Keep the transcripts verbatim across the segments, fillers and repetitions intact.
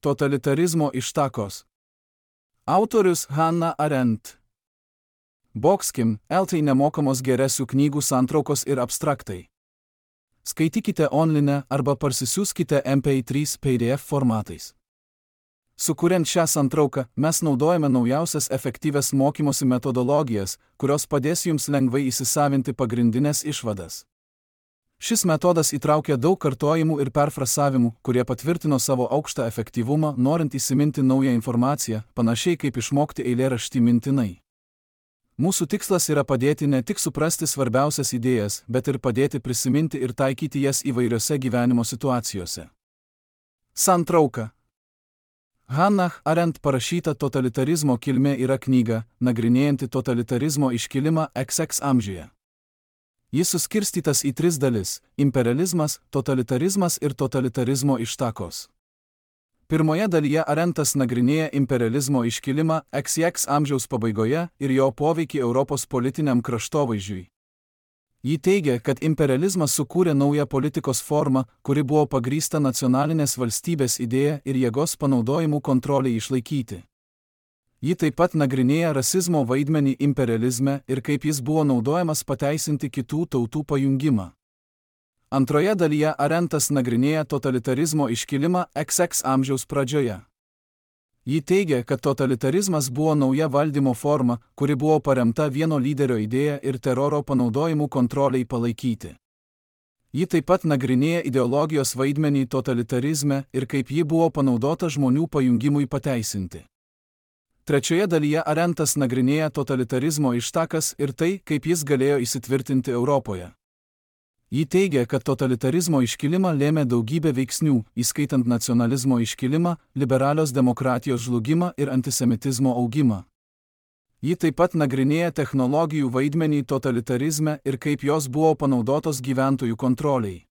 Totalitarizmo ištakos. Autorius Hannah Arendt. Boxkim, eltai nemokamos geresių knygų santraukos ir abstraktai. Skaitykite online arba parsisiųskite M P trys P D F formatais. Sukuriant šią santrauką, mes naudojame naujausias efektyvias mokymosi metodologijas, kurios padės jums lengvai įsisavinti pagrindinės išvadas. Šis metodas įtraukia daug kartojimų ir perfrasavimų, kurie patvirtino savo aukštą efektyvumą, norint įsiminti naują informaciją, panašiai kaip išmokti eilėraštį mintinai. Mūsų tikslas yra padėti ne tik suprasti svarbiausias idėjas, bet ir padėti prisiminti ir taikyti jas įvairiose gyvenimo situacijose. Santrauka. Hannah Arendt parašyta Totalitarizmo kilmė yra knyga, nagrinėjanti totalitarizmo iškilimą X X amžiuje. Jis suskirstytas į tris dalis – imperializmas, totalitarizmas ir totalitarizmo ištakos. Pirmoje dalyje Arendtas nagrinėja imperializmo iškilimą X X amžiaus pabaigoje ir jo poveikį Europos politiniam kraštovaizdžiui. Ji teigia, kad imperializmas sukūrė naują politikos formą, kuri buvo pagrįsta nacionalinės valstybės idėja ir jėgos panaudojimu kontroliai išlaikyti. Ji taip pat nagrinėja rasizmo vaidmenį imperializme ir kaip jis buvo naudojamas pateisinti kitų tautų pajungimą. Antroje dalyje Arendtas nagrinėja totalitarizmo iškilimą X X amžiaus pradžioje. Ji teigia, kad totalitarizmas buvo nauja valdymo forma, kuri buvo paremta vieno lyderio idėja ir teroro panaudojimu kontroliai palaikyti. Ji taip pat nagrinėja ideologijos vaidmenį totalitarizme ir kaip ji buvo panaudota žmonių pajungimui pateisinti. Trečioje dalyje Arendtas nagrinėja totalitarizmo ištakas ir tai, kaip jis galėjo įsitvirtinti Europoje. Ji teigia, kad totalitarizmo iškilimą lėmė daugybė veiksnių, įskaitant nacionalizmo iškilimą, liberalios demokratijos žlugimą ir antisemitizmo augimą. Ji taip pat nagrinėja technologijų vaidmenį totalitarizme ir kaip jos buvo panaudotos gyventojų kontroliai.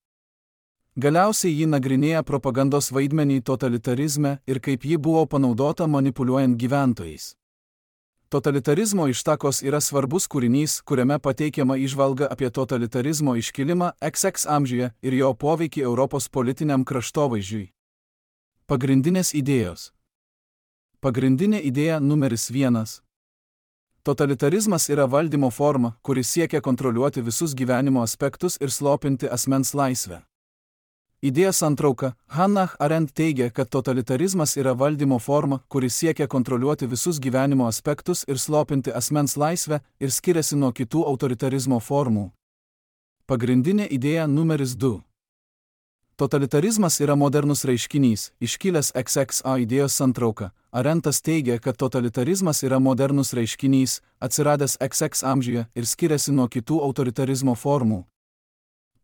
Galiausiai ji nagrinėja propagandos vaidmenį totalitarizme ir kaip ji buvo panaudota manipuliuojant gyventojais. Totalitarizmo ištakos yra svarbus kūrinys, kuriame pateikiama įžvalga apie totalitarizmo iškilimą X X amžiuje ir jo poveikį Europos politiniam kraštovaizdžiui. Pagrindinės idėjos. Pagrindinė idėja numeris vienas. Totalitarizmas yra valdymo forma, kuri siekia kontroliuoti visus gyvenimo aspektus ir slopinti asmens laisvę. Idėja santrauka. Hannah Arendt teigia, kad totalitarizmas yra valdymo forma, kuri siekia kontroliuoti visus gyvenimo aspektus ir slopinti asmens laisvę ir skiriasi nuo kitų autoritarizmo formų. Pagrindinė idėja numeris du. Totalitarizmas yra modernus reiškinys, iškilęs X X A idėjos santrauka. Arendtas teigia, kad totalitarizmas yra modernus reiškinys, atsiradęs X X amžiuje ir skiriasi nuo kitų autoritarizmo formų.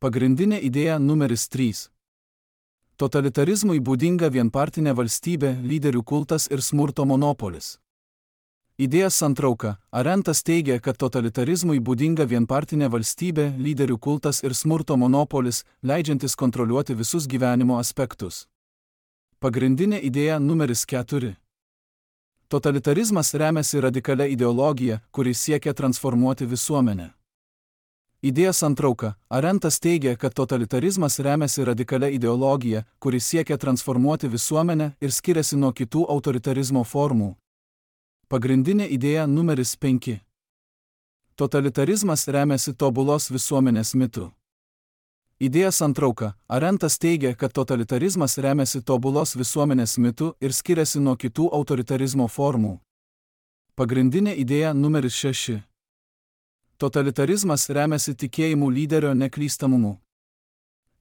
Pagrindinė idėja numeris trys. Totalitarizmui būdinga vienpartinė valstybė, lyderių kultas ir smurto monopolis. Idėja santrauka. Arendtas teigia, kad totalitarizmui būdinga vienpartinė valstybė, lyderių kultas ir smurto monopolis, leidžiantis kontroliuoti visus gyvenimo aspektus. Pagrindinė idėja numeris keturi. Totalitarizmas remiasi radikalia ideologija, kuri siekia transformuoti visuomenę. Idėja santrauka. Arendtas teigia, kad totalitarizmas remiasi radikalia ideologija, kuri siekia transformuoti visuomenę ir skiriasi nuo kitų autoritarizmo formų. Pagrindinė idėja numeris penki. Totalitarizmas remiasi tobulos visuomenės mitu. Idėja santrauka. Arendtas teigia, kad totalitarizmas remiasi tobulos visuomenės mitu ir skiriasi nuo kitų autoritarizmo formų. Pagrindinė idėja numeris šeši. Totalitarizmas remiasi tikėjimu lyderio neklystamumu.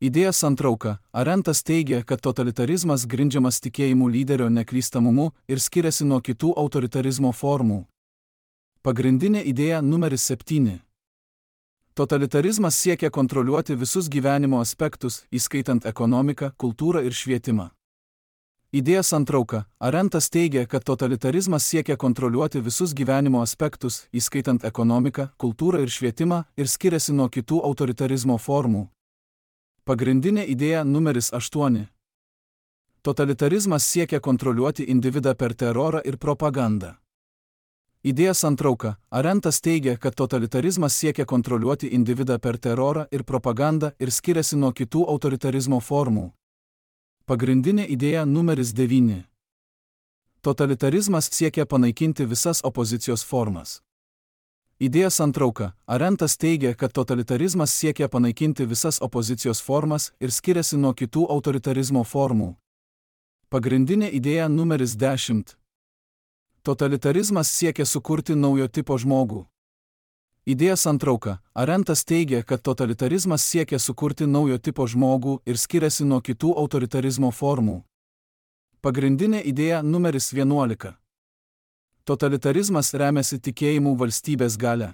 Idėja santrauka. Arendtas teigia, kad totalitarizmas grindžiamas tikėjimu lyderio neklystamumu ir skiriasi nuo kitų autoritarizmo formų. Pagrindinė idėja numeris septyni. Totalitarizmas siekia kontroliuoti visus gyvenimo aspektus, įskaitant ekonomiką, kultūrą ir švietimą. Idėja santrauka. Arendtas teigia, kad totalitarizmas siekia kontroliuoti visus gyvenimo aspektus, įskaitant ekonomiką, kultūrą ir švietimą, ir skiriasi nuo kitų autoritarizmo formų. Pagrindinė idėja numeris aštuoni. Totalitarizmas siekia kontroliuoti individą per terorą ir propagandą. Idėja santrauka. Arendtas teigia, kad totalitarizmas siekia kontroliuoti individą per terorą ir propagandą ir skiriasi nuo kitų autoritarizmo formų. Pagrindinė idėja numeris devyni. Totalitarizmas siekia panaikinti visas opozicijos formas. Idėjos santrauka. Arentas teigia, kad totalitarizmas siekia panaikinti visas opozicijos formas ir skiriasi nuo kitų autoritarizmo formų. Pagrindinė idėja numeris dešimt. Totalitarizmas siekia sukurti naujo tipo žmogų. Idėjos santrauka. Arentas teigia, kad totalitarizmas siekia sukurti naujo tipo žmogų ir skiriasi nuo kitų autoritarizmo formų. Pagrindinė idėja numeris vienuolika. Totalitarizmas remiasi tikėjimu valstybės galia.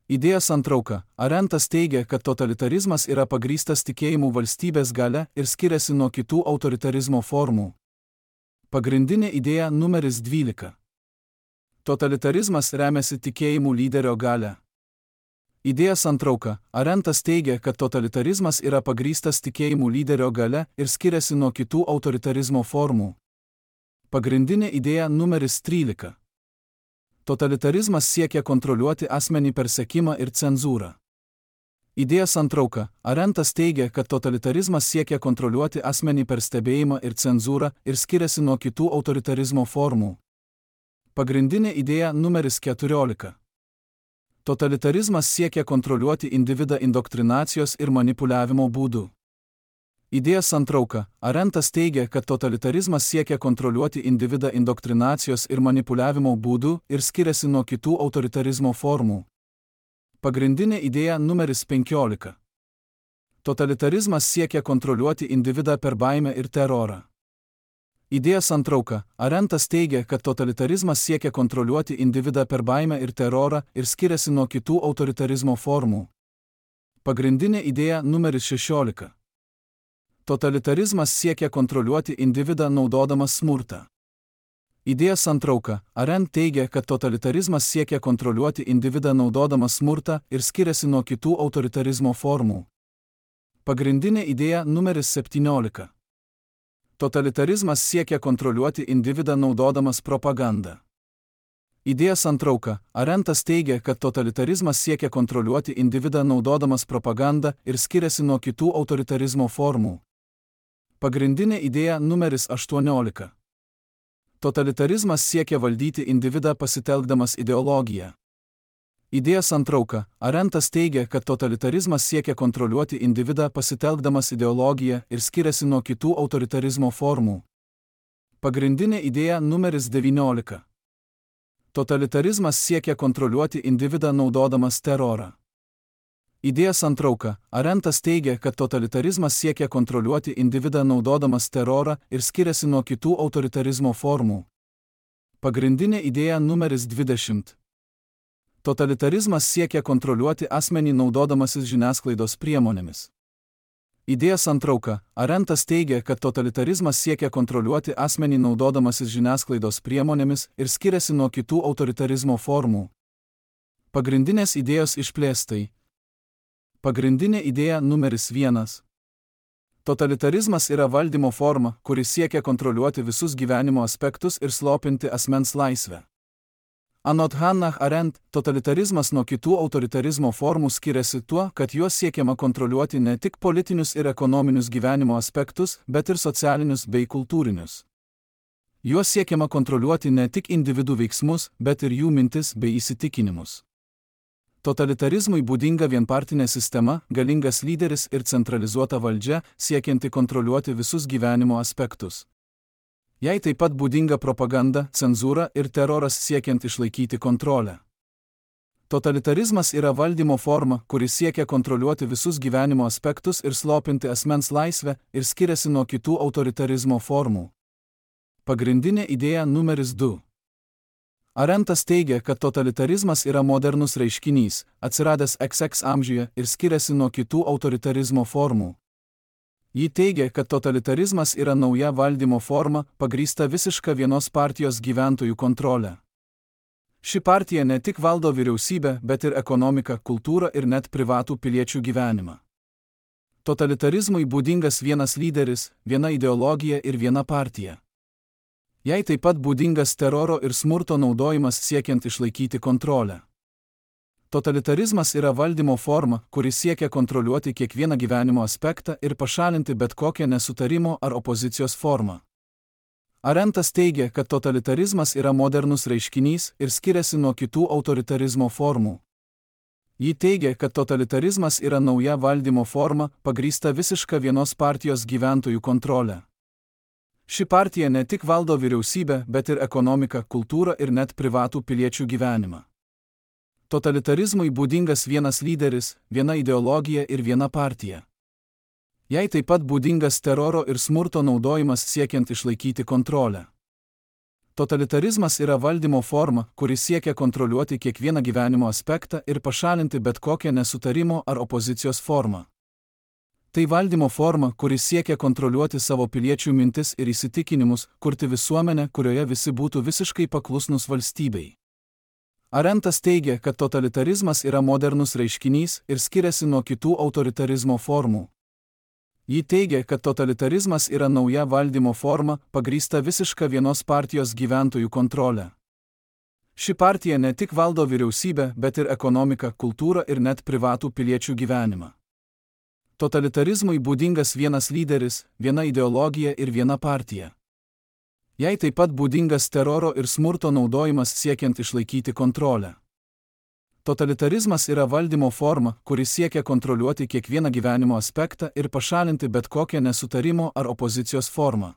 Idėjos santrauka. Arentas teigia, kad totalitarizmas yra pagrįstas tikėjimu valstybės galia ir skiriasi nuo kitų autoritarizmo formų. Pagrindinė idėja numeris dvylika. Totalitarizmas remiasi tikėjimu lyderio galia. Idėjos santrauka. Arentas teigia, kad totalitarizmas yra pagrįstas tikėjimu lyderio galia ir skiriasi nuo kitų autoritarizmo formų. Pagrindinė idėja numeris trylika. Totalitarizmas siekia kontroliuoti asmenį per sekimą ir cenzūrą. Idėjos santrauka. Arentas teigia, kad totalitarizmas siekia kontroliuoti asmenį per stebėjimą ir cenzūrą ir skiriasi nuo kitų autoritarizmo formų. Pagrindinė idėja numeris keturiolika. Totalitarizmas siekia kontroliuoti individą indoktrinacijos ir manipuliavimo būdu. Idėjos santrauka. Arentas teigia, kad totalitarizmas siekia kontroliuoti individą indoktrinacijos ir manipuliavimo būdu ir skiriasi nuo kitų autoritarizmo formų. Pagrindinė idėja numeris penkiolika. Totalitarizmas siekia kontroliuoti individą per baimę ir terorą. Idėjos santrauka. Arentas teigia, kad totalitarizmas siekia kontroliuoti individą per baimę ir terorą ir skiriasi nuo kitų autoritarizmo formų. Pagrindinė idėja numeris šešiolika. Totalitarizmas siekia kontroliuoti individą naudodamas smurtą. Idėjos santrauka. Arent teigia, kad totalitarizmas siekia kontroliuoti individą naudodamas smurtą ir skiriasi nuo kitų autoritarizmo formų. Pagrindinė idėja numeris septyniolika. Totalitarizmas siekia kontroliuoti individą naudodamas propagandą. Idėjos santrauka. Arentas teigia, kad totalitarizmas siekia kontroliuoti individą naudodamas propagandą ir skiriasi nuo kitų autoritarizmo formų. Pagrindinė idėja numeris aštuoniolika. Totalitarizmas siekia valdyti individą pasitelkdamas ideologiją. Idėjos santrauka. Arentas teigia, kad totalitarizmas siekia kontroliuoti individą pasitelkdamas ideologiją ir skiriasi nuo kitų autoritarizmo formų. Pagrindinė idėja numeris devyniolika. Totalitarizmas siekia kontroliuoti individą naudodamas terorą. Idėjos santrauka. Arentas teigia, kad totalitarizmas siekia kontroliuoti individą naudodamas terorą ir skiriasi nuo kitų autoritarizmo formų. Pagrindinė idėja numeris dvidešimt. Totalitarizmas siekia kontroliuoti asmenį naudodamasis žiniasklaidos priemonėmis. Idėjos santrauka. Arentas teigia, kad totalitarizmas siekia kontroliuoti asmenį naudodamasis žiniasklaidos priemonėmis ir skiriasi nuo kitų autoritarizmo formų. Pagrindinės idėjos išplėstai. Pagrindinė idėja numeris vienas. Totalitarizmas yra valdymo forma, kuri siekia kontroliuoti visus gyvenimo aspektus ir slopinti asmens laisvę. Anot Hannah Arendt, totalitarizmas nuo kitų autoritarizmo formų skiriasi tuo, kad juos siekiama kontroliuoti ne tik politinius ir ekonominius gyvenimo aspektus, bet ir socialinius bei kultūrinius. Juos siekiama kontroliuoti ne tik individų veiksmus, bet ir jų mintis bei įsitikinimus. Totalitarizmui būdinga vienpartinė sistema, galingas lyderis ir centralizuota valdžia, siekianti kontroliuoti visus gyvenimo aspektus. Jai taip pat būdinga propaganda, cenzūra ir teroras siekiant išlaikyti kontrolę. Totalitarizmas yra valdymo forma, kuri siekia kontroliuoti visus gyvenimo aspektus ir slopinti asmens laisvę ir skiriasi nuo kitų autoritarizmo formų. Pagrindinė idėja numeris du. Arentas teigia, kad totalitarizmas yra modernus reiškinys, atsiradęs iks iks amžiuje ir skiriasi nuo kitų autoritarizmo formų. Ji teigia, kad totalitarizmas yra nauja valdymo forma, pagrįsta visiška vienos partijos gyventojų kontrolė. Ši partija ne tik valdo vyriausybę, bet ir ekonomiką, kultūrą ir net privatų piliečių gyvenimą. Totalitarizmui būdingas vienas lyderis, viena ideologija ir viena partija. Jai taip pat būdingas teroro ir smurto naudojimas siekiant išlaikyti kontrolę. Totalitarizmas yra valdymo forma, kuri siekia kontroliuoti kiekvieną gyvenimo aspektą ir pašalinti bet kokią nesutarimo ar opozicijos formą. Arentas teigia, kad totalitarizmas yra modernus reiškinys ir skiriasi nuo kitų autoritarizmo formų. Ji teigia, kad totalitarizmas yra nauja valdymo forma, pagrįsta visiška vienos partijos gyventojų kontrolė. Ši partija ne tik valdo vyriausybę, bet ir ekonomiką, kultūrą ir net privatų piliečių gyvenimą. Totalitarizmui būdingas vienas lyderis, viena ideologija ir viena partija. Jai taip pat būdingas teroro ir smurto naudojimas siekiant išlaikyti kontrolę. Totalitarizmas yra valdymo forma, kuri siekia kontroliuoti kiekvieną gyvenimo aspektą ir pašalinti bet kokią nesutarimo ar opozicijos formą. Tai valdymo forma, kuri siekia kontroliuoti savo piliečių mintis ir įsitikinimus, kurti visuomenę, kurioje visi būtų visiškai paklusnus valstybei. Arentas teigia, kad totalitarizmas yra modernus reiškinys ir skiriasi nuo kitų autoritarizmo formų. Ji teigia, kad totalitarizmas yra nauja valdymo forma, pagrįsta visiška vienos partijos gyventojų kontrolė. Ši partija ne tik valdo vyriausybę, bet ir ekonomiką, kultūrą ir net privatų piliečių gyvenimą. Totalitarizmui būdingas vienas lyderis, viena ideologija ir viena partija. Jai taip pat būdingas teroro ir smurto naudojimas siekiant išlaikyti kontrolę. Totalitarizmas yra valdymo forma, kuri siekia kontroliuoti kiekvieną gyvenimo aspektą ir pašalinti bet kokią nesutarimo ar opozicijos formą.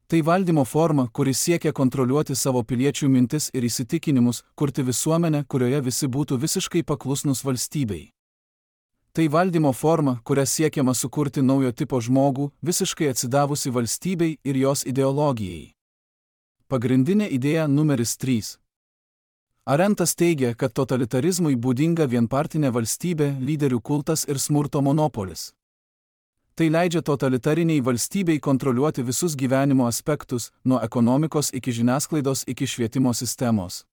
Tai valdymo forma, kuri siekia kontroliuoti savo piliečių mintis ir įsitikinimus, kurti visuomenę, kurioje visi būtų visiškai paklusnus valstybei. Tai valdymo forma, kuria siekiama sukurti naujo tipo žmogų, visiškai atsidavusi valstybei ir jos ideologijai. Pagrindinė idėja numeris trys. Arentas teigia, kad totalitarizmui būdinga vienpartinė valstybė, lyderių kultas ir smurto monopolis. Tai leidžia totalitariniai valstybei kontroliuoti visus gyvenimo aspektus, nuo ekonomikos iki žiniasklaidos iki švietimo sistemos.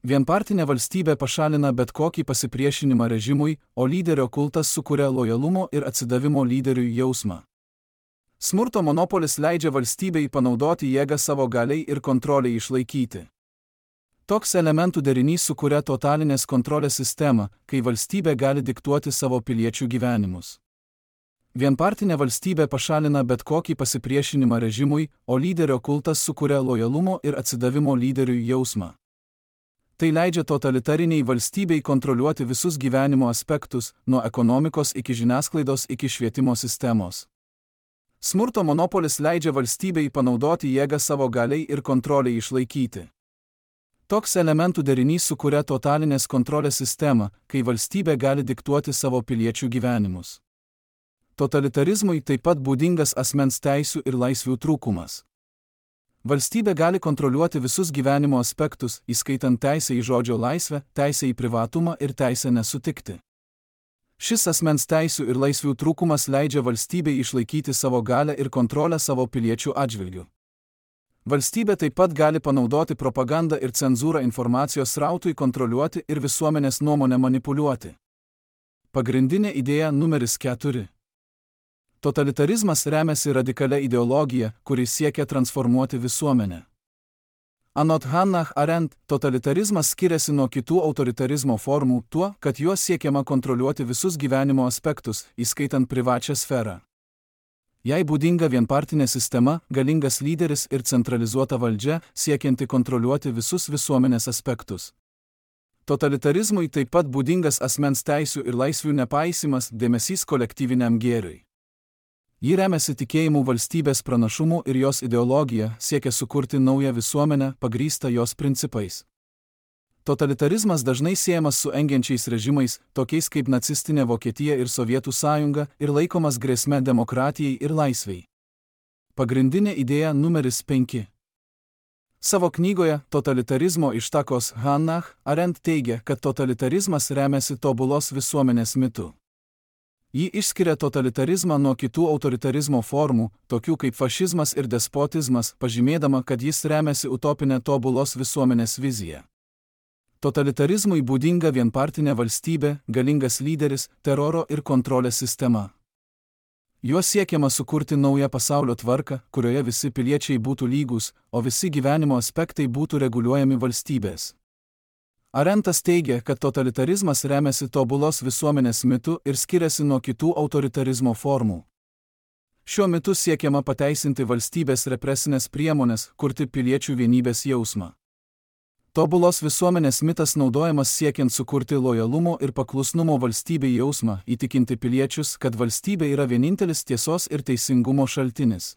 Vienpartinė valstybė pašalina bet kokį pasipriešinimą režimui, o lyderio kultas sukuria lojalumo ir atsidavimo lyderiui jausmą. Smurto monopolis leidžia valstybei panaudoti jėgą savo galiai ir kontroliai išlaikyti. Toks elementų derinys sukuria totalinės kontrolės sistemą, kai valstybė gali diktuoti savo piliečių gyvenimus. Vienpartinė valstybė pašalina bet kokį pasipriešinimą režimui, o lyderio kultas sukuria lojalumo ir atsidavimo lyderiui jausmą. Tai leidžia totalitariniai valstybei kontroliuoti visus gyvenimo aspektus, nuo ekonomikos iki žiniasklaidos iki švietimo sistemos. Smurto monopolis leidžia valstybei panaudoti jėgą savo galiai ir kontroliai išlaikyti. Toks elementų derinys sukuria totalinės kontrolės sistemą, kai valstybė gali diktuoti savo piliečių gyvenimus. Totalitarizmui taip pat būdingas asmens teisių ir laisvių trūkumas. Valstybė gali kontroliuoti visus gyvenimo aspektus, įskaitant teisę į žodžio laisvę, teisę į privatumą ir teisę nesutikti. Šis asmens teisių ir laisvių trūkumas leidžia valstybei išlaikyti savo galią ir kontrolę savo piliečių atžvilgiu. Valstybė taip pat gali panaudoti propagandą ir cenzūrą informacijos srautui kontroliuoti ir visuomenės nuomonę manipuliuoti. Pagrindinė idėja numeris keturi. Totalitarizmas remiasi radikalia ideologija, kuri siekia transformuoti visuomenę. Anot Hannah Arendt, totalitarizmas skiriasi nuo kitų autoritarizmo formų tuo, kad juo siekiama kontroliuoti visus gyvenimo aspektus, įskaitant privačią sferą. Jai būdinga vienpartinė sistema, galingas lyderis ir centralizuota valdžia, siekianti kontroliuoti visus visuomenės aspektus. Totalitarizmui taip pat būdingas asmens teisių ir laisvių nepaisimas, dėmesys kolektyviniam gėriui. Ji remiasi tikėjimu valstybės pranašumu ir jos ideologija, siekia sukurti naują visuomenę, pagrįstą jos principais. Totalitarizmas dažnai siejamas su engiančiais režimais, tokiais kaip nacistinė Vokietija ir Sovietų sąjunga, ir laikomas grėsme demokratijai ir laisvei. Pagrindinė idėja numeris penki. Savo knygoje Totalitarizmo ištakos Hannah Arendt teigia, kad totalitarizmas remiasi tobulos visuomenės mitu. Ji išskiria totalitarizmą nuo kitų autoritarizmo formų, tokių kaip fašizmas ir despotizmas, pažymėdama, kad jis remiasi utopinę tobulos visuomenės viziją. Totalitarizmui būdinga vienpartinė valstybė, galingas lyderis, teroro ir kontrolės sistema. Juo siekiama sukurti naują pasaulio tvarką, kurioje visi piliečiai būtų lygūs, o visi gyvenimo aspektai būtų reguliuojami valstybės. Arentas teigia, kad totalitarizmas remiasi tobulos visuomenės mitu ir skiriasi nuo kitų autoritarizmo formų. Šiuo metu siekiama pateisinti valstybės represinės priemonės, kurti piliečių vienybės jausmą. Tobulos visuomenės mitas naudojamas siekiant sukurti lojalumo ir paklusnumo valstybei jausmą, įtikinti piliečius, kad valstybė yra vienintelis tiesos ir teisingumo šaltinis.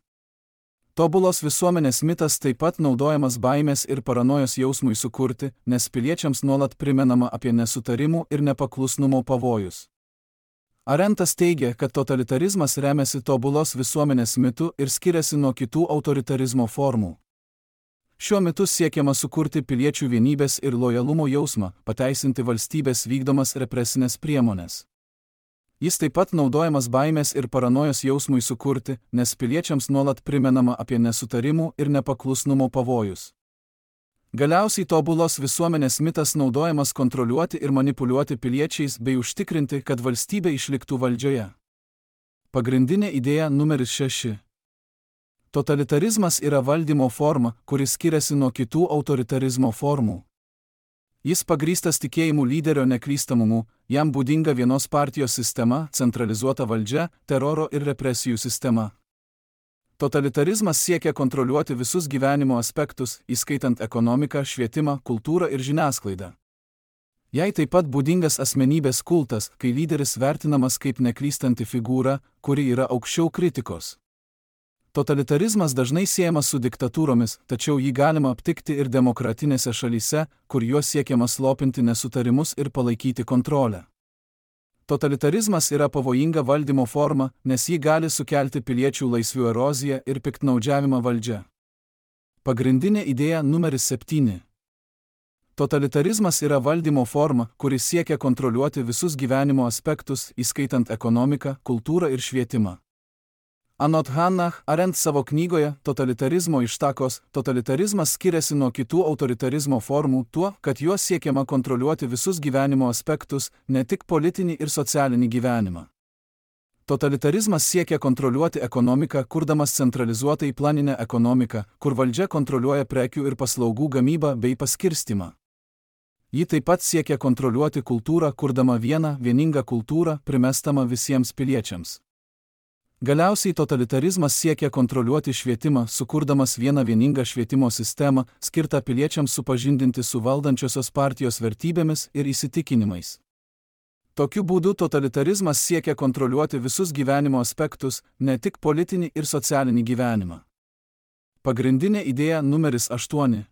Tobulos visuomenės mitas taip pat naudojamas baimės ir paranojos jausmui sukurti, nes piliečiams nuolat primenama apie nesutarimų ir nepaklusnumo pavojus. Arentas teigia, kad totalitarizmas remiasi tobulos visuomenės mitu ir skiriasi nuo kitų autoritarizmo formų. Šiuo metu siekiama sukurti piliečių vienybės ir lojalumo jausmą, pateisinti valstybės vykdomas represinės priemonės. Jis taip pat naudojamas baimės ir paranojos jausmui sukurti, nes piliečiams nuolat primenama apie nesutarimų ir nepaklusnumo pavojus. Galiausiai tobulos visuomenės mitas naudojamas kontroliuoti ir manipuliuoti piliečiais bei užtikrinti, kad valstybė išliktų valdžioje. Pagrindinė idėja numeris šeši. Totalitarizmas yra valdymo forma, kuris skiriasi nuo kitų autoritarizmo formų. Jis pagrįstas tikėjimu lyderio neklystamumu, jam būdinga vienos partijos sistema, centralizuota valdžia, teroro ir represijų sistema. Totalitarizmas siekia kontroliuoti visus gyvenimo aspektus, įskaitant ekonomiką, švietimą, kultūrą ir žiniasklaidą. Jai taip pat būdingas asmenybės kultas, kai lyderis vertinamas kaip neklystanti figūra, kuri yra aukščiau kritikos. Totalitarizmas dažnai siejamas su diktatūromis, tačiau jį galima aptikti ir demokratinėse šalyse, kur juo siekiama slopinti nesutarimus ir palaikyti kontrolę. Totalitarizmas yra pavojinga valdymo forma, nes ji gali sukelti piliečių laisvių eroziją ir piktnaudžiavimą valdžia. Pagrindinė idėja numeris septyni. Totalitarizmas yra valdymo forma, kuris siekia kontroliuoti visus gyvenimo aspektus, įskaitant ekonomiką, kultūrą ir švietimą. Anot Hannah Arendt savo knygoje Totalitarizmo ištakos, totalitarizmas skiriasi nuo kitų autoritarizmo formų tuo, kad juo siekiama kontroliuoti visus gyvenimo aspektus, ne tik politinį ir socialinį gyvenimą. Totalitarizmas siekia kontroliuoti ekonomiką, kurdamas centralizuotai planinę ekonomiką, kur valdžia kontroliuoja prekių ir paslaugų gamybą bei paskirstimą. Ji taip pat siekia kontroliuoti kultūrą, kurdama vieną, vieningą kultūrą, primestamą visiems piliečiams. Galiausiai totalitarizmas siekia kontroliuoti švietimą, sukurdamas vieną vieningą švietimo sistemą, skirtą piliečiams supažindinti su valdančiosios partijos vertybėmis ir įsitikinimais. Tokiu būdu totalitarizmas siekia kontroliuoti visus gyvenimo aspektus, ne tik politinį ir socialinį gyvenimą. Pagrindinė idėja numeris aštuoni.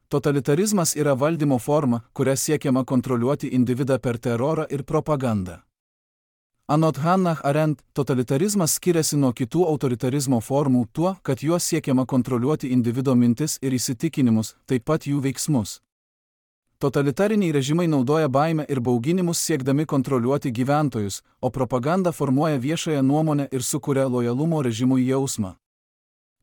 Totalitarizmas yra valdymo forma, kuria siekiama kontroliuoti individą per terorą ir propagandą. Anot Hannah Arendt, totalitarizmas skiriasi nuo kitų autoritarizmo formų tuo, kad juo siekiama kontroliuoti individo mintis ir įsitikinimus, taip pat jų veiksmus. Totalitariniai režimai naudoja baimę ir bauginimus siekdami kontroliuoti gyventojus, o propaganda formuoja viešąją nuomonę ir sukuria lojalumo režimui jausmą.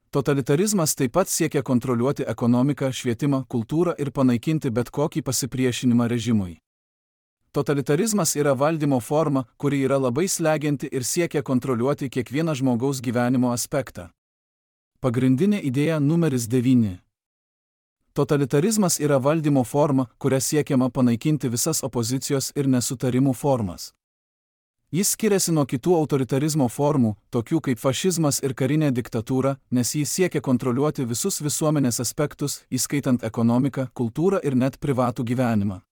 Totalitarizmas taip pat siekia kontroliuoti ekonomiką, švietimą, kultūrą ir panaikinti bet kokį pasipriešinimą režimui. Totalitarizmas yra valdymo forma, kuri yra labai slegianti ir siekia kontroliuoti kiekvieną žmogaus gyvenimo aspektą. Pagrindinė idėja numeris devyni. Totalitarizmas yra valdymo forma, kuria siekiama panaikinti visas opozicijos ir nesutarimų formas. Jis skiriasi nuo kitų autoritarizmo formų, tokių kaip fašizmas ir karinė diktatūra, nes jis siekia kontroliuoti visus visuomenės aspektus, įskaitant ekonomiką, kultūrą ir net privatų gyvenimą.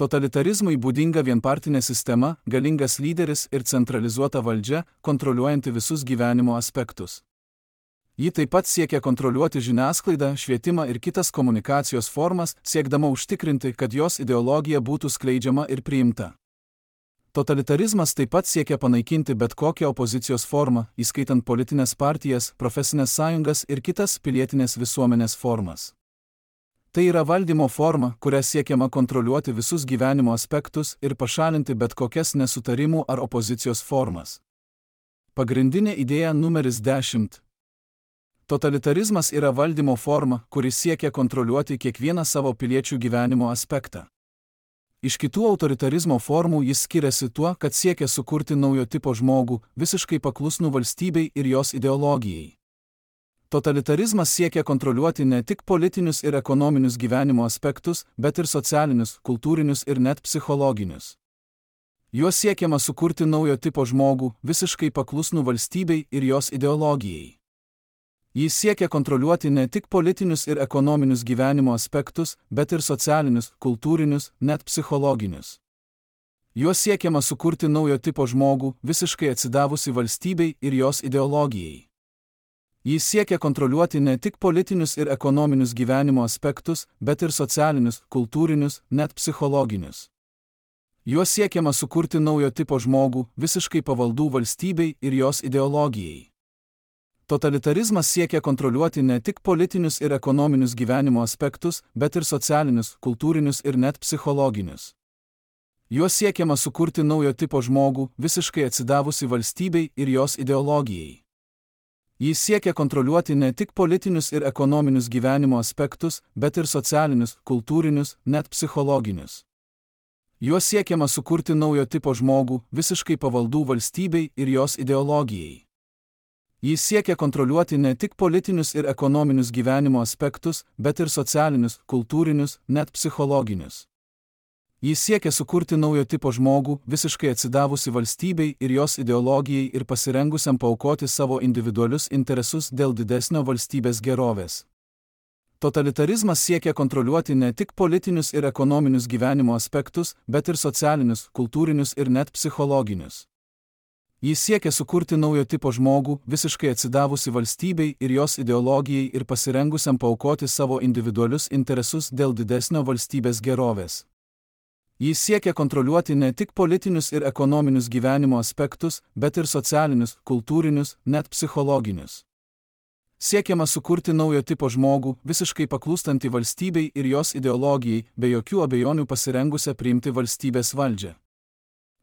Totalitarizmui būdinga vienpartinė sistema, galingas lyderis ir centralizuota valdžia, kontroliuojanti visus gyvenimo aspektus. Ji taip pat siekia kontroliuoti žiniasklaidą, švietimą ir kitas komunikacijos formas, siekdama užtikrinti, kad jos ideologija būtų skleidžiama ir priimta. Totalitarizmas taip pat siekia panaikinti bet kokią opozicijos formą, įskaitant politinės partijas, profesinės sąjungas ir kitas pilietinės visuomenės formas. Tai yra valdymo forma, kuria siekiama kontroliuoti visus gyvenimo aspektus ir pašalinti bet kokias nesutarimų ar opozicijos formas. Pagrindinė idėja numeris dešimt. Totalitarizmas yra valdymo forma, kuris siekia kontroliuoti kiekvieną savo piliečių gyvenimo aspektą. Iš kitų autoritarizmo formų jis skiriasi tuo, kad siekia sukurti naujo tipo žmogų, visiškai paklusnų valstybei ir jos ideologijai. Totalitarizmas siekia kontroliuoti ne tik politinius ir ekonominius gyvenimo aspektus, bet ir socialinius, kultūrinius ir net psichologinius. Juo siekiama sukurti naujo tipo žmogų, visiškai paklusnų valstybei ir jos ideologijai. Jis siekia kontroliuoti ne tik politinius ir ekonominius gyvenimo aspektus, bet ir socialinius, kultūrinius, net psichologinius. Juo siekiama sukurti naujo tipo žmogų, visiškai atsidavusi valstybei ir jos ideologijai. Jis siekia kontroliuoti ne tik politinius ir ekonominius gyvenimo aspektus, bet ir socialinius, kultūrinius, net psichologinius. Juo siekiama sukurti naujo tipo žmogų, visiškai pavaldų valstybei ir jos ideologijai. Totalitarizmas siekia kontroliuoti ne tik politinius ir ekonominius gyvenimo aspektus, bet ir socialinius, kultūrinius ir net psichologinius. Juo siekiama sukurti naujo tipo žmogų, visiškai atsidavusi valstybei ir jos ideologijai. Jis siekia kontroliuoti ne tik politinius ir ekonominius gyvenimo aspektus, bet ir socialinius, kultūrinius, net psichologinius. Juo siekiama sukurti naujo tipo žmogų, visiškai pavaldų valstybei ir jos ideologijai. Jis siekia kontroliuoti ne tik politinius ir ekonominius gyvenimo aspektus, bet ir socialinius, kultūrinius, net psichologinius. Jis siekia sukurti naujo tipo žmogų, visiškai atsidavusi valstybei ir jos ideologijai ir pasirengusiam paaukoti savo individualius interesus dėl didesnio valstybės gerovės. Totalitarizmas siekia kontroliuoti ne tik politinius ir ekonominius gyvenimo aspektus, bet ir socialinius, kultūrinius ir net psichologinius. Jis siekia sukurti naujo tipo žmogų, visiškai atsidavusi valstybei ir jos ideologijai ir pasirengusiam paaukoti savo individualius interesus dėl didesnio valstybės gerovės. Jis siekia kontroliuoti ne tik politinius ir ekonominius gyvenimo aspektus, bet ir socialinius, kultūrinius, net psichologinius. Siekiama sukurti naujo tipo žmogų, visiškai paklūstantį valstybei ir jos ideologijai, be jokių abejonių pasirengusią priimti valstybės valdžią.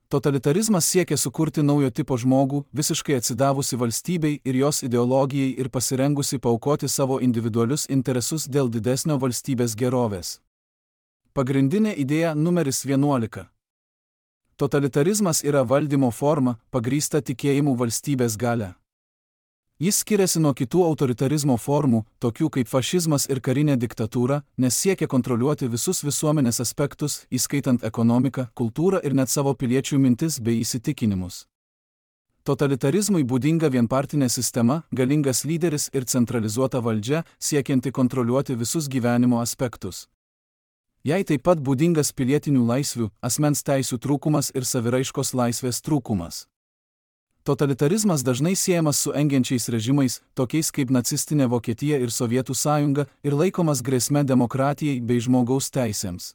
Totalitarizmas siekia sukurti naujo tipo žmogų, visiškai atsidavusi valstybei ir jos ideologijai ir pasirengusi paaukoti savo individualius interesus dėl didesnio valstybės gerovės. Pagrindinė idėja numeris vienuolika. Totalitarizmas yra valdymo forma, pagrįsta tikėjimu valstybės galia. Jis skiriasi nuo kitų autoritarizmo formų, tokių kaip fašizmas ir karinė diktatūra, nes siekia kontroliuoti visus visuomenės aspektus, įskaitant ekonomiką, kultūrą ir net savo piliečių mintis bei įsitikinimus. Totalitarizmui būdinga vienpartinė sistema, galingas lyderis ir centralizuota valdžia, siekianti kontroliuoti visus gyvenimo aspektus. Jai taip pat būdingas pilietinių laisvių, asmens teisių trūkumas ir saviraiškos laisvės trūkumas. Totalitarizmas dažnai siejamas su engiančiais režimais, tokiais kaip nacistinė Vokietija ir Sovietų sąjunga, ir laikomas grėsme demokratijai bei žmogaus teisėms.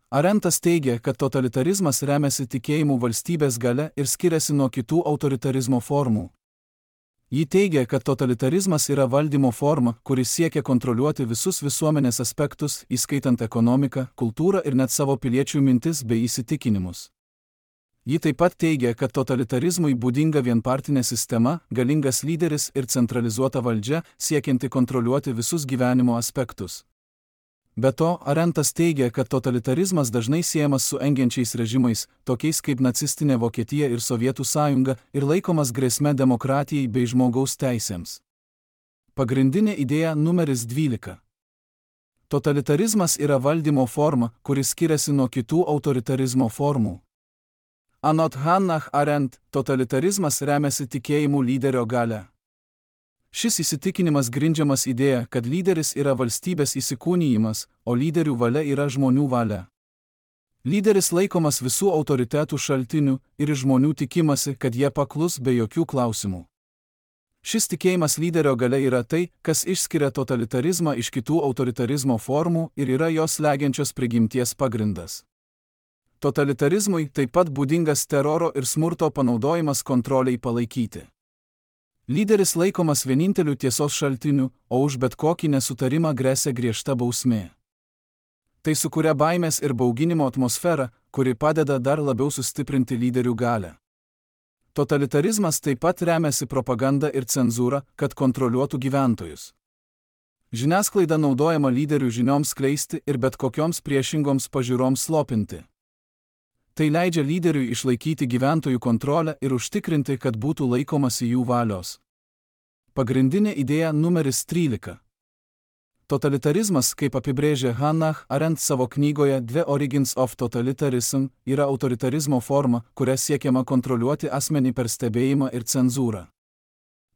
Arentas teigia, kad totalitarizmas remiasi tikėjimu valstybės galia ir skiriasi nuo kitų autoritarizmo formų. Ji teigia, kad totalitarizmas yra valdymo forma, kuris siekia kontroliuoti visus visuomenės aspektus, įskaitant ekonomiką, kultūrą ir net savo piliečių mintis bei įsitikinimus. Ji taip pat teigia, kad totalitarizmui būdinga vienpartinė sistema, galingas lyderis ir centralizuota valdžia, siekianti kontroliuoti visus gyvenimo aspektus. Be to, Arentas teigia, kad totalitarizmas dažnai siejamas su engiančiais režimais, tokiais kaip nacistinė Vokietija ir Sovietų sąjunga, ir laikomas grėsme demokratijai bei žmogaus teisėms. Pagrindinė idėja numeris dvylika. Totalitarizmas yra valdymo forma, kuris skiriasi nuo kitų autoritarizmo formų. Anot Hannah Arendt, totalitarizmas remiasi tikėjimu lyderio galia. Šis įsitikinimas grindžiamas idėja, kad lyderis yra valstybės įsikūnijimas, o lyderių valia yra žmonių valia. Lyderis laikomas visų autoritetų šaltinių ir iš žmonių tikimasi, kad jie paklus be jokių klausimų. Šis tikėjimas lyderio galia yra tai, kas išskiria totalitarizmą iš kitų autoritarizmo formų ir yra jos slegiančios prigimties pagrindas. Totalitarizmui taip pat būdingas teroro ir smurto panaudojimas kontroliai palaikyti. Lyderis laikomas vieninteliu tiesos šaltiniu, o už bet kokį nesutarimą gresia griežta bausmė. Tai sukuria baimės ir bauginimo atmosferą, kuri padeda dar labiau sustiprinti lyderių galią. Totalitarizmas taip pat remiasi propaganda ir cenzūra, kad kontroliuotų gyventojus. Žiniasklaida naudojama lyderių žinioms skleisti ir bet kokioms priešingoms pažiūroms slopinti. Tai leidžia lyderiui išlaikyti gyventojų kontrolę ir užtikrinti, kad būtų laikomasi jų valios. Pagrindinė idėja numeris trylika. Totalitarizmas, kaip apibrėžė Hannah Arendt savo knygoje The Origins of Totalitarism, yra autoritarizmo forma, kuria siekiama kontroliuoti asmenį per stebėjimą ir cenzūrą.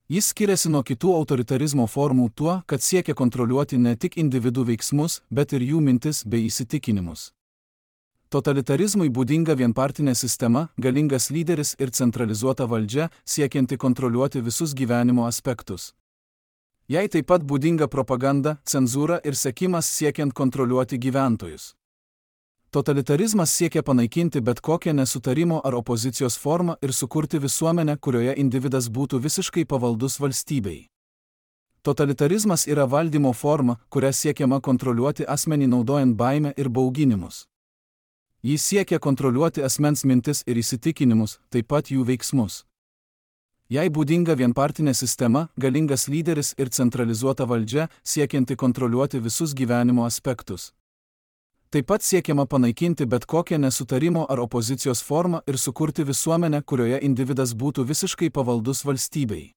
Jis skiriasi nuo kitų autoritarizmo formų tuo, kad siekia kontroliuoti ne tik individų veiksmus, bet ir jų mintis bei įsitikinimus. Totalitarizmui būdinga vienpartinė sistema, galingas lyderis ir centralizuota valdžia, siekianti kontroliuoti visus gyvenimo aspektus. Jai taip pat būdinga propaganda, cenzūra ir sekimas siekiant kontroliuoti gyventojus. Totalitarizmas siekia panaikinti bet kokią nesutarimo ar opozicijos formą ir sukurti visuomenę, kurioje individas būtų visiškai pavaldus valstybei. Totalitarizmas yra valdymo forma, kuria siekiama kontroliuoti asmenį naudojant baimę ir bauginimus. Jis siekia kontroliuoti asmens mintis ir įsitikinimus, taip pat jų veiksmus. Jai būdinga vienpartinė sistema, galingas lyderis ir centralizuota valdžia, siekianti kontroliuoti visus gyvenimo aspektus. Taip pat siekiama panaikinti bet kokią nesutarimo ar opozicijos formą ir sukurti visuomenę, kurioje individas būtų visiškai pavaldus valstybei.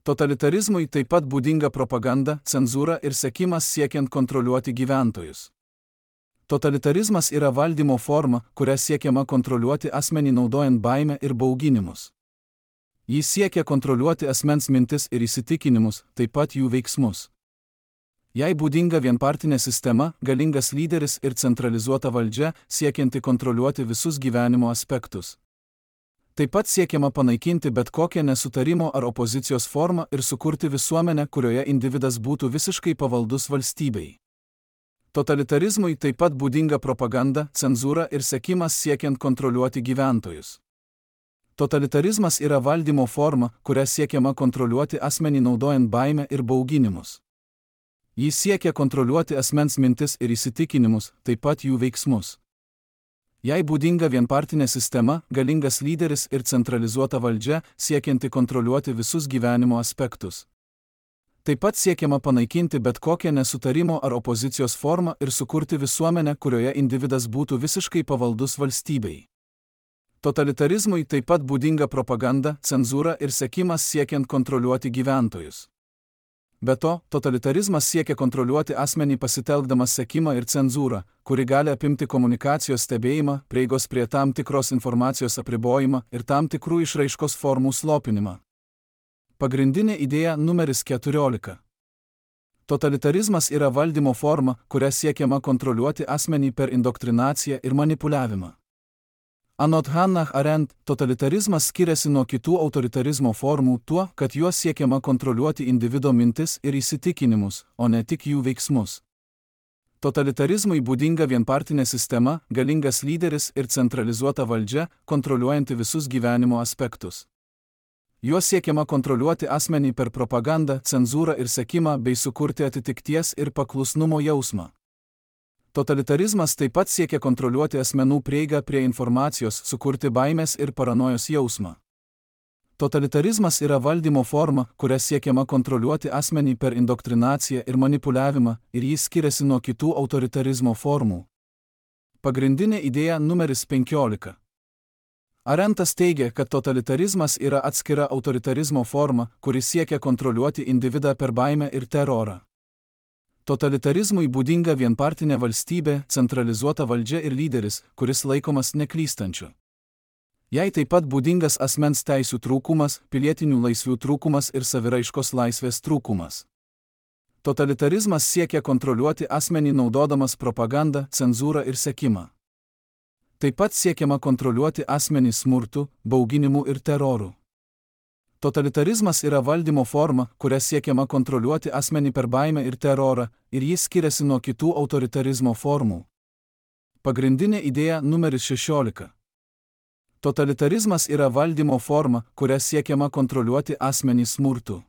Totalitarizmui taip pat būdinga propaganda, cenzūra ir sekimas siekiant kontroliuoti gyventojus. Totalitarizmas yra valdymo forma, kuria siekiama kontroliuoti asmenį naudojant baimę ir bauginimus. Jis siekia kontroliuoti asmens mintis ir įsitikinimus, taip pat jų veiksmus. Jai būdinga vienpartinė sistema, galingas lyderis ir centralizuota valdžia, siekianti kontroliuoti visus gyvenimo aspektus. Taip pat siekiama panaikinti bet kokią nesutarimo ar opozicijos formą ir sukurti visuomenę, kurioje individas būtų visiškai pavaldus valstybei. Totalitarizmui taip pat būdinga propaganda, cenzūra ir sekimas siekiant kontroliuoti gyventojus. Totalitarizmas yra valdymo forma, kuria siekiama kontroliuoti asmenį naudojant baimę ir bauginimus. Jis siekia kontroliuoti asmens mintis ir įsitikinimus, taip pat jų veiksmus. Jai būdinga vienpartinė sistema, galingas lyderis ir centralizuota valdžia, siekianti kontroliuoti visus gyvenimo aspektus. Taip pat siekiama panaikinti bet kokią nesutarimo ar opozicijos formą ir sukurti visuomenę, kurioje individas būtų visiškai pavaldus valstybei. Totalitarizmui taip pat būdinga propaganda, cenzūra ir sekimas siekiant kontroliuoti gyventojus. Be to, totalitarizmas siekia kontroliuoti asmenį pasitelkdamas sekimą ir cenzūrą, kuri gali apimti komunikacijos stebėjimą, prieigos prie tam tikros informacijos apribojimą ir tam tikrų išraiškos formų slopinimą. Pagrindinė idėja numeris keturiolika. Totalitarizmas yra valdymo forma, kuria siekiama kontroliuoti asmenį per indoktrinaciją ir manipuliavimą. Anot Hannah Arendt, totalitarizmas skiriasi nuo kitų autoritarizmo formų tuo, kad juos siekiama kontroliuoti individo mintis ir įsitikinimus, o ne tik jų veiksmus. Totalitarizmui būdinga vienpartinė sistema, galingas lyderis ir centralizuota valdžia, kontroliuojanti visus gyvenimo aspektus. Juos siekiama kontroliuoti asmenį per propagandą, cenzūrą ir sekimą bei sukurti atitikties ir paklusnumo jausmą. Totalitarizmas taip pat siekia kontroliuoti asmenų prieigą prie informacijos, sukurti baimės ir paranojos jausmą. Totalitarizmas yra valdymo forma, kuria siekiama kontroliuoti asmenį per indoktrinaciją ir manipuliavimą, ir jis skiriasi nuo kitų autoritarizmo formų. Pagrindinė idėja numeris penkiolika. Arendtas teigia, kad totalitarizmas yra atskira autoritarizmo forma, kuri siekia kontroliuoti individą per baimę ir terorą. Totalitarizmui būdinga vienpartinė valstybė, centralizuota valdžia ir lyderis, kuris laikomas neklystančiu. Jai taip pat būdingas asmens teisių trūkumas, pilietinių laisvių trūkumas ir saviraiškos laisvės trūkumas. Totalitarizmas siekia kontroliuoti asmenį naudodamas propagandą, cenzūrą ir sekimą. Taip pat siekiama kontroliuoti asmenį smurtu, bauginimu ir teroru. Totalitarizmas yra valdymo forma, kuria siekiama kontroliuoti asmenį per baimę ir terorą, ir jis skiriasi nuo kitų autoritarizmo formų. Pagrindinė idėja numeris šešiolika. Totalitarizmas yra valdymo forma, kuria siekiama kontroliuoti asmenį smurtu.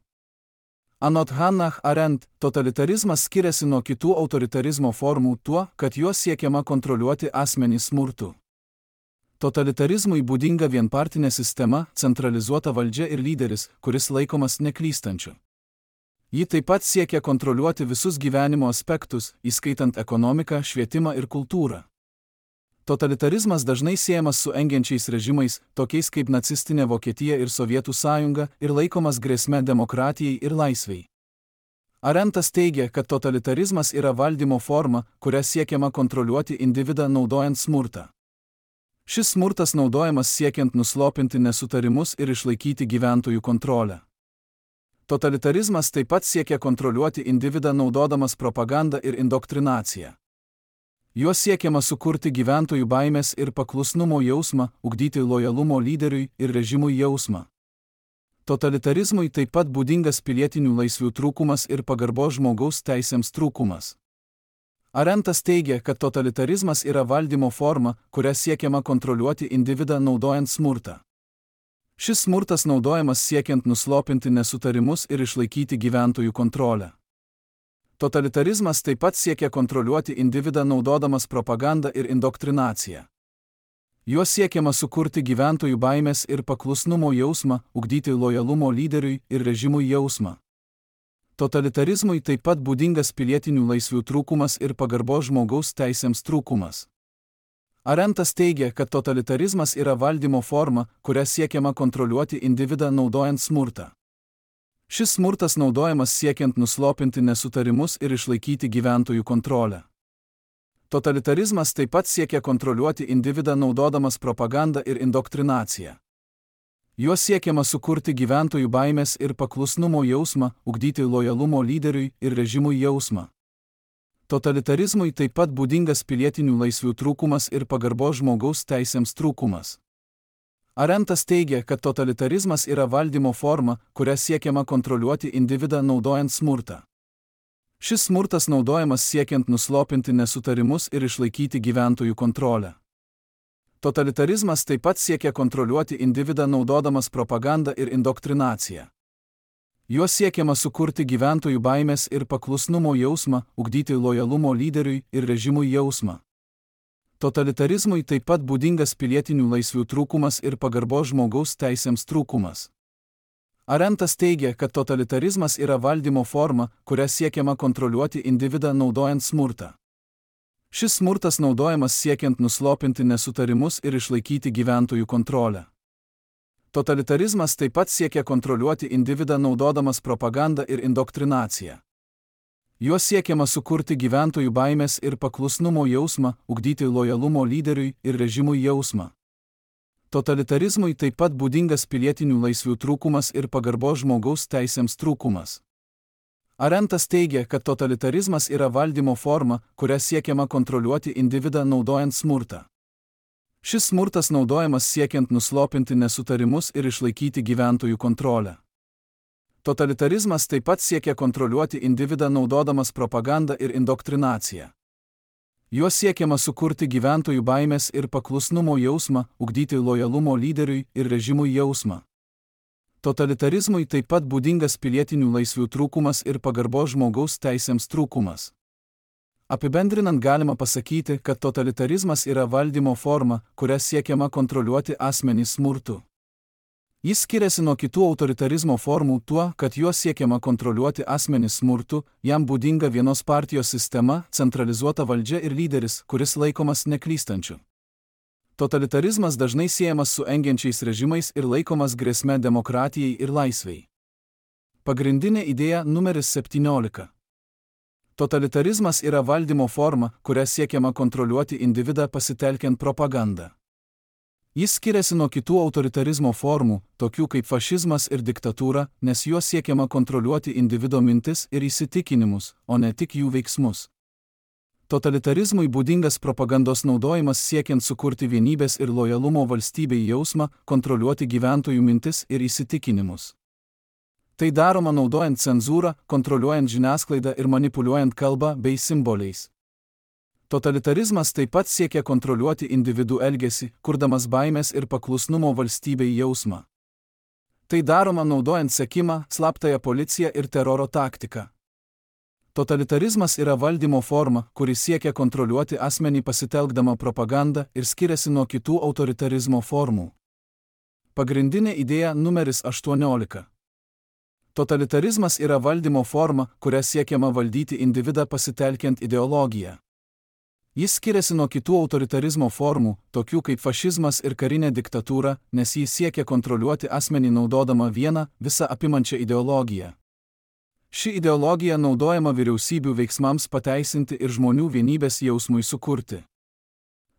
Anot Hannah Arendt, totalitarizmas skiriasi nuo kitų autoritarizmo formų tuo, kad juos siekiama kontroliuoti asmenį smurtu. Totalitarizmui būdinga vienpartinė sistema, centralizuota valdžia ir lyderis, kuris laikomas neklystančiu. Ji taip pat siekia kontroliuoti visus gyvenimo aspektus, įskaitant ekonomiką, švietimą ir kultūrą. Totalitarizmas dažnai siejamas su engiančiais režimais, tokiais kaip nacistinė Vokietija ir Sovietų sąjunga, ir laikomas grėsme demokratijai ir laisvei. Arentas teigia, kad totalitarizmas yra valdymo forma, kuria siekiama kontroliuoti individą naudojant smurtą. Šis smurtas naudojamas siekiant nuslopinti nesutarimus ir išlaikyti gyventojų kontrolę. Totalitarizmas taip pat siekia kontroliuoti individą naudodamas propagandą ir indoktrinaciją. Juo siekiama sukurti gyventojų baimės ir paklusnumo jausmą, ugdyti lojalumo lyderiui ir režimui jausmą. Totalitarizmui taip pat būdingas pilietinių laisvių trūkumas ir pagarbos žmogaus teisėms trūkumas. Arentas teigia, kad totalitarizmas yra valdymo forma, kuria siekiama kontroliuoti individą naudojant smurtą. Šis smurtas naudojamas siekiant nuslopinti nesutarimus ir išlaikyti gyventojų kontrolę. Totalitarizmas taip pat siekia kontroliuoti individą naudodamas propagandą ir indoktrinaciją. Juo siekiama sukurti gyventojų baimės ir paklusnumo jausmą, ugdyti lojalumo lyderiui ir režimui jausmą. Totalitarizmui taip pat būdingas pilietinių laisvių trūkumas ir pagarbos žmogaus teisėms trūkumas. Arentas teigia, kad totalitarizmas yra valdymo forma, kuria siekiama kontroliuoti individą naudojant smurtą. Šis smurtas naudojamas siekiant nuslopinti nesutarimus ir išlaikyti gyventojų kontrolę. Totalitarizmas taip pat siekia kontroliuoti individą naudodamas propagandą ir indoktrinaciją. Juo siekiama sukurti gyventojų baimės ir paklusnumo jausmą, ugdyti lojalumo lyderiui ir režimui jausmą. Totalitarizmui taip pat būdingas pilietinių laisvių trūkumas ir pagarbos žmogaus teisėms trūkumas. Arentas teigia, kad totalitarizmas yra valdymo forma, kuria siekiama kontroliuoti individą naudojant smurtą. Šis smurtas naudojamas siekiant nuslopinti nesutarimus ir išlaikyti gyventojų kontrolę. Totalitarizmas taip pat siekia kontroliuoti individą naudodamas propagandą ir indoktrinaciją. Juo siekiama sukurti gyventojų baimės ir paklusnumo jausmą, ugdyti lojalumo lyderiui ir režimui jausmą. Totalitarizmui taip pat būdingas pilietinių laisvių trūkumas ir pagarbos žmogaus teisėms trūkumas. Arentas teigia, kad totalitarizmas yra valdymo forma, kuria siekiama kontroliuoti individą naudojant smurtą. Šis smurtas naudojamas siekiant nuslopinti nesutarimus ir išlaikyti gyventojų kontrolę. Totalitarizmas taip pat siekia kontroliuoti individą naudodamas propagandą ir indoktrinaciją. Juo siekiama sukurti gyventojų baimės ir paklusnumo jausmą, ugdyti lojalumo lyderiui ir režimui jausmą. Totalitarizmui taip pat būdingas pilietinių laisvių trūkumas ir pagarbos žmogaus teisėms trūkumas. Arentas teigia, kad totalitarizmas yra valdymo forma, kuria siekiama kontroliuoti individą naudojant smurtą. Šis smurtas naudojamas siekiant nuslopinti nesutarimus ir išlaikyti gyventojų kontrolę. Totalitarizmas taip pat siekia kontroliuoti individą naudodamas propagandą ir indoktrinaciją. Juo siekiama sukurti gyventojų baimės ir paklusnumo jausmą, ugdyti lojalumo lyderiui ir režimui jausmą. Totalitarizmui taip pat būdingas pilietinių laisvių trūkumas ir pagarbos žmogaus teisėms trūkumas. Apibendrinant galima pasakyti, kad totalitarizmas yra valdymo forma, kuria siekiama kontroliuoti asmenį smurtu. Jis skiriasi nuo kitų autoritarizmo formų tuo, kad juo siekiama kontroliuoti asmenį smurtu, jam būdinga vienos partijos sistema, centralizuota valdžia ir lyderis, kuris laikomas neklystančiu. Totalitarizmas dažnai siejamas su engiančiais režimais ir laikomas grėsme demokratijai ir laisvei. Pagrindinė idėja numeris septyniolika. Totalitarizmas yra valdymo forma, kuria siekiama kontroliuoti individą pasitelkiant propagandą. Jis skiriasi nuo kitų autoritarizmo formų, tokių kaip fašizmas ir diktatūra, nes juo siekiama kontroliuoti individo mintis ir įsitikinimus, o ne tik jų veiksmus. Totalitarizmui būdingas propagandos naudojimas siekiant sukurti vienybės ir lojalumo valstybei jausmą, kontroliuoti gyventojų mintis ir įsitikinimus. Tai daroma naudojant cenzūrą, kontroliuojant žiniasklaidą ir manipuliuojant kalbą bei simboliais. Totalitarizmas taip pat siekia kontroliuoti individų elgesį, kurdamas baimės ir paklusnumo valstybei jausmą. Tai daroma naudojant sekimą, slaptąją policiją ir teroro taktiką. Totalitarizmas yra valdymo forma, kuri siekia kontroliuoti asmenį pasitelkdama propagandą ir skiriasi nuo kitų autoritarizmo formų. Pagrindinė idėja numeris aštuoniolika. Totalitarizmas yra valdymo forma, kuria siekiama valdyti individą pasitelkiant ideologiją. Jis skiriasi nuo kitų autoritarizmo formų, tokių kaip fašizmas ir karinė diktatūra, nes jis siekia kontroliuoti asmenį naudodama vieną, visą apimančią ideologiją. Ši ideologija naudojama vyriausybių veiksmams pateisinti ir žmonių vienybės jausmui sukurti.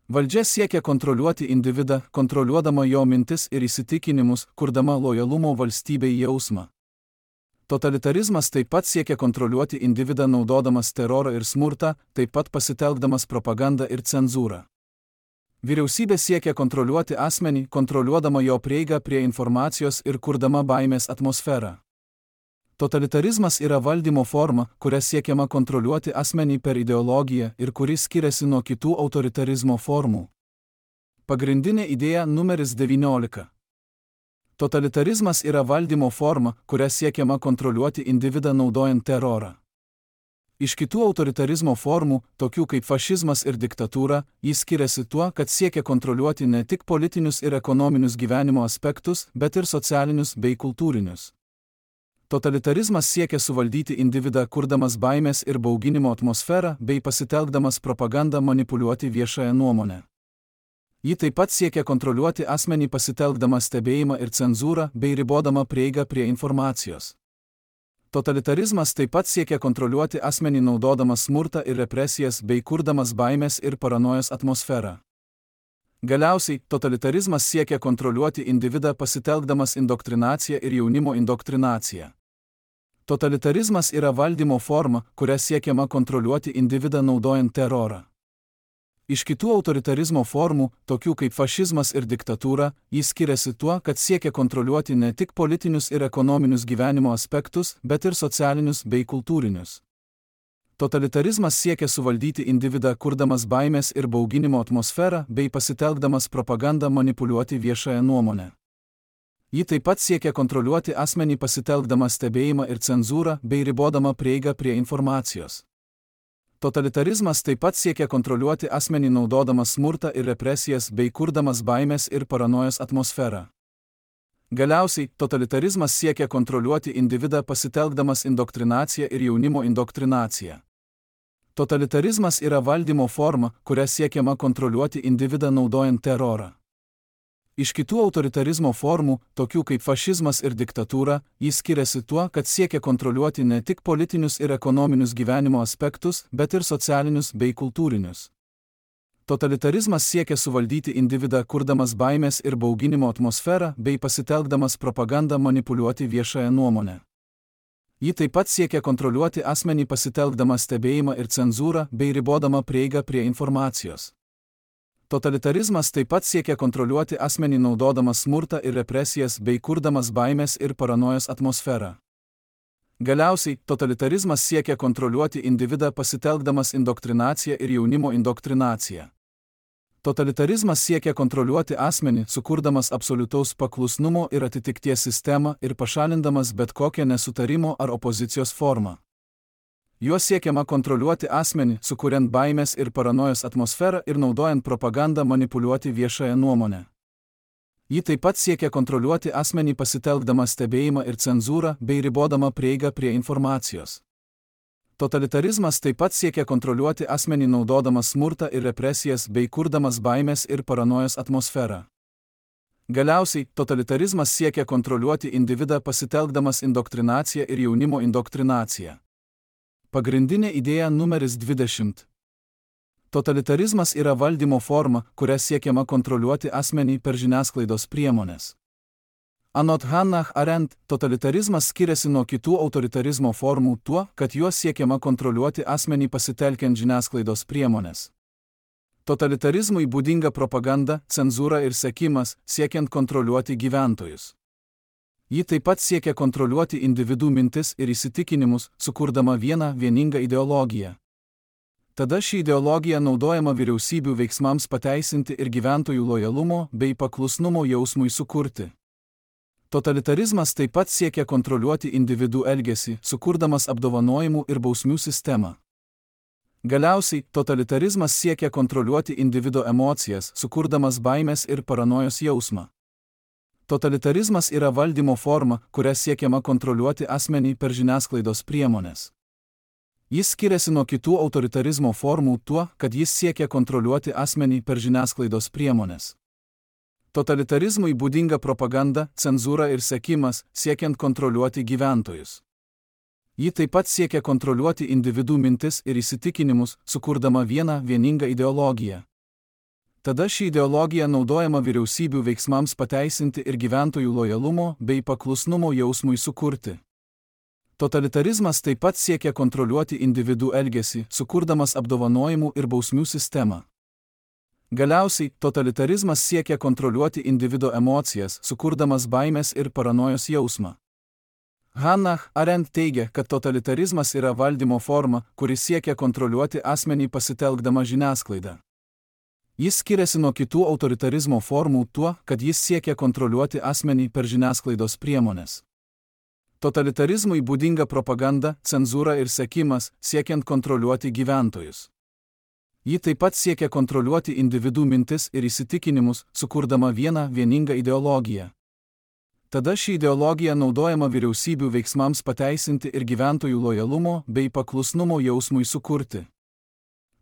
Valdžia siekia kontroliuoti individą, kontroliuodama jo mintis ir įsitikinimus, kurdama lojalumo valstybei jausmą. Totalitarizmas taip pat siekia kontroliuoti individą naudodamas terorą ir smurtą, taip pat pasitelkdamas propagandą ir cenzūrą. Vyriausybė siekia kontroliuoti asmenį, kontroliuodama jo prieigą prie informacijos ir kurdama baimės atmosferą. Totalitarizmas yra valdymo forma, kuria siekiama kontroliuoti asmenį per ideologiją ir kuri skiriasi nuo kitų autoritarizmo formų. Pagrindinė idėja numeris devyniolika. Totalitarizmas yra valdymo forma, kuria siekiama kontroliuoti individą naudojant terorą. Iš kitų autoritarizmo formų, tokių kaip fašizmas ir diktatūra, jis skiriasi tuo, kad siekia kontroliuoti ne tik politinius ir ekonominius gyvenimo aspektus, bet ir socialinius bei kultūrinius. Totalitarizmas siekia suvaldyti individą, kurdamas baimės ir bauginimo atmosferą bei pasitelkdamas propagandą manipuliuoti viešąją nuomonę. Ji taip pat siekia kontroliuoti asmenį pasitelkdama stebėjimą ir cenzūrą bei ribodama prieigą prie informacijos. Totalitarizmas taip pat siekia kontroliuoti asmenį naudodamas smurtą ir represijas bei kurdamas baimės ir paranojos atmosferą. Galiausiai, totalitarizmas siekia kontroliuoti individą pasitelkdamas indoktrinaciją ir jaunimo indoktrinaciją. Totalitarizmas yra valdymo forma, kuria siekiama kontroliuoti individą naudojant terorą. Iš kitų autoritarizmo formų, tokių kaip fašizmas ir diktatūra, jis skiriasi tuo, kad siekia kontroliuoti ne tik politinius ir ekonominius gyvenimo aspektus, bet ir socialinius bei kultūrinius. Totalitarizmas siekia suvaldyti individą, kurdamas baimės ir bauginimo atmosferą bei pasitelkdamas propagandą manipuliuoti viešąją nuomonę. Ji taip pat siekia kontroliuoti asmenį pasitelkdama stebėjimą ir cenzūrą bei ribodama prieigą prie informacijos. Totalitarizmas taip pat siekia kontroliuoti asmenį naudodamas smurtą ir represijas bei kurdamas baimės ir paranojos atmosferą. Galiausiai, totalitarizmas siekia kontroliuoti individą pasitelkdamas indoktrinaciją ir jaunimo indoktrinaciją. Totalitarizmas yra valdymo forma, kuria siekiama kontroliuoti individą naudojant terorą. Iš kitų autoritarizmo formų, tokių kaip fašizmas ir diktatūra, jis skiriasi tuo, kad siekia kontroliuoti ne tik politinius ir ekonominius gyvenimo aspektus, bet ir socialinius bei kultūrinius. Totalitarizmas siekia suvaldyti individą, kurdamas baimės ir bauginimo atmosferą bei pasitelkdamas propagandą manipuliuoti viešąją nuomonę. Ji taip pat siekia kontroliuoti asmenį pasitelkdama stebėjimą ir cenzūrą bei ribodama prieigą prie informacijos. Totalitarizmas taip pat siekia kontroliuoti asmenį naudodamas smurtą ir represijas bei kurdamas baimės ir paranojos atmosferą. Galiausiai, totalitarizmas siekia kontroliuoti individą pasitelkdamas indoktrinaciją ir jaunimo indoktrinaciją. Totalitarizmas siekia kontroliuoti asmenį, sukurdamas absoliutaus paklusnumo ir atitikties sistemą ir pašalindamas bet kokią nesutarimo ar opozicijos formą. Juo siekiama kontroliuoti asmenį, sukuriant baimės ir paranojos atmosferą ir naudojant propagandą manipuliuoti viešąją nuomonę. Ji taip pat siekia kontroliuoti asmenį pasitelkdama stebėjimą ir cenzūrą bei ribodama prieigą prie informacijos. Totalitarizmas taip pat siekia kontroliuoti asmenį naudodamas smurtą ir represijas bei kurdamas baimės ir paranojos atmosferą. Galiausiai, totalitarizmas siekia kontroliuoti individą pasitelkdamas indoktrinaciją ir jaunimo indoktrinaciją. Pagrindinė idėja numeris dvidešimt. Totalitarizmas yra valdymo forma, kuria siekiama kontroliuoti asmenį per žiniasklaidos priemonės. Anot Hannah Arendt, totalitarizmas skiriasi nuo kitų autoritarizmo formų tuo, kad juo siekiama kontroliuoti asmenį pasitelkiant žiniasklaidos priemonės. Totalitarizmui būdinga propaganda, cenzūra ir sekimas, siekiant kontroliuoti gyventojus. Ji taip pat siekia kontroliuoti individų mintis ir įsitikinimus, sukurdama vieną vieningą ideologiją. Tada ši ideologija naudojama vyriausybių veiksmams pateisinti ir gyventojų lojalumo bei paklusnumo jausmui sukurti. Totalitarizmas taip pat siekia kontroliuoti individų elgesį, sukurdamas apdovanojimų ir bausmių sistemą. Galiausiai, totalitarizmas siekia kontroliuoti individo emocijas, sukurdamas baimės ir paranojos jausmą. Totalitarizmas yra valdymo forma, kuria siekiama kontroliuoti asmenį per žiniasklaidos priemonės. Jis skiriasi nuo kitų autoritarizmo formų tuo, kad jis siekia kontroliuoti asmenį per žiniasklaidos priemonės. Totalitarizmui būdinga propaganda, cenzūra ir sekimas, siekiant kontroliuoti gyventojus. Ji taip pat siekia kontroliuoti individų mintis ir įsitikinimus, sukurdama vieną vieningą ideologiją. Tada ši ideologija naudojama vyriausybių veiksmams pateisinti ir gyventojų lojalumo bei paklusnumo jausmui sukurti. Totalitarizmas taip pat siekia kontroliuoti individų elgesį, sukurdamas apdovanojimų ir bausmių sistemą. Galiausiai, totalitarizmas siekia kontroliuoti individo emocijas, sukurdamas baimės ir paranojos jausmą. Hannah Arendt teigia, kad totalitarizmas yra valdymo forma, kuri siekia kontroliuoti asmenį pasitelkdama žiniasklaidą. Jis skiriasi nuo kitų autoritarizmo formų tuo, kad jis siekia kontroliuoti asmenį per žiniasklaidos priemones. Totalitarizmui būdinga propaganda, cenzūra ir sekimas, siekiant kontroliuoti gyventojus. Ji taip pat siekia kontroliuoti individų mintis ir įsitikinimus, sukurdama vieną vieningą ideologiją. Tada ši ideologija naudojama vyriausybių veiksmams pateisinti ir gyventojų lojalumo bei paklusnumo jausmui sukurti.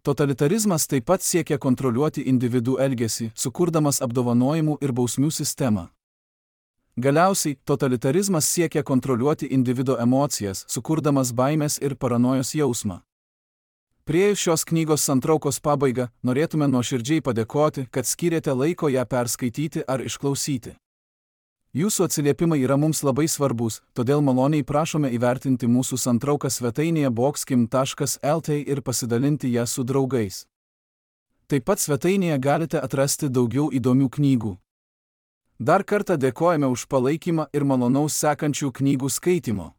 Totalitarizmas taip pat siekia kontroliuoti individų elgesį, sukurdamas apdovanojimų ir bausmių sistemą. Galiausiai, totalitarizmas siekia kontroliuoti individo emocijas, sukurdamas baimės ir paranojos jausmą. Priėjus šios knygos santraukos pabaigą, norėtume nuoširdžiai padėkoti, kad skyrėte laiko ją perskaityti ar išklausyti. Jūsų atsiliepimai yra mums labai svarbus, todėl maloniai prašome įvertinti mūsų santrauką svetainėje boxkim taškas lt ir pasidalinti ją su draugais. Taip pat svetainėje galite atrasti daugiau įdomių knygų. Dar kartą dėkojame už palaikymą ir malonaus sekančių knygų skaitimo.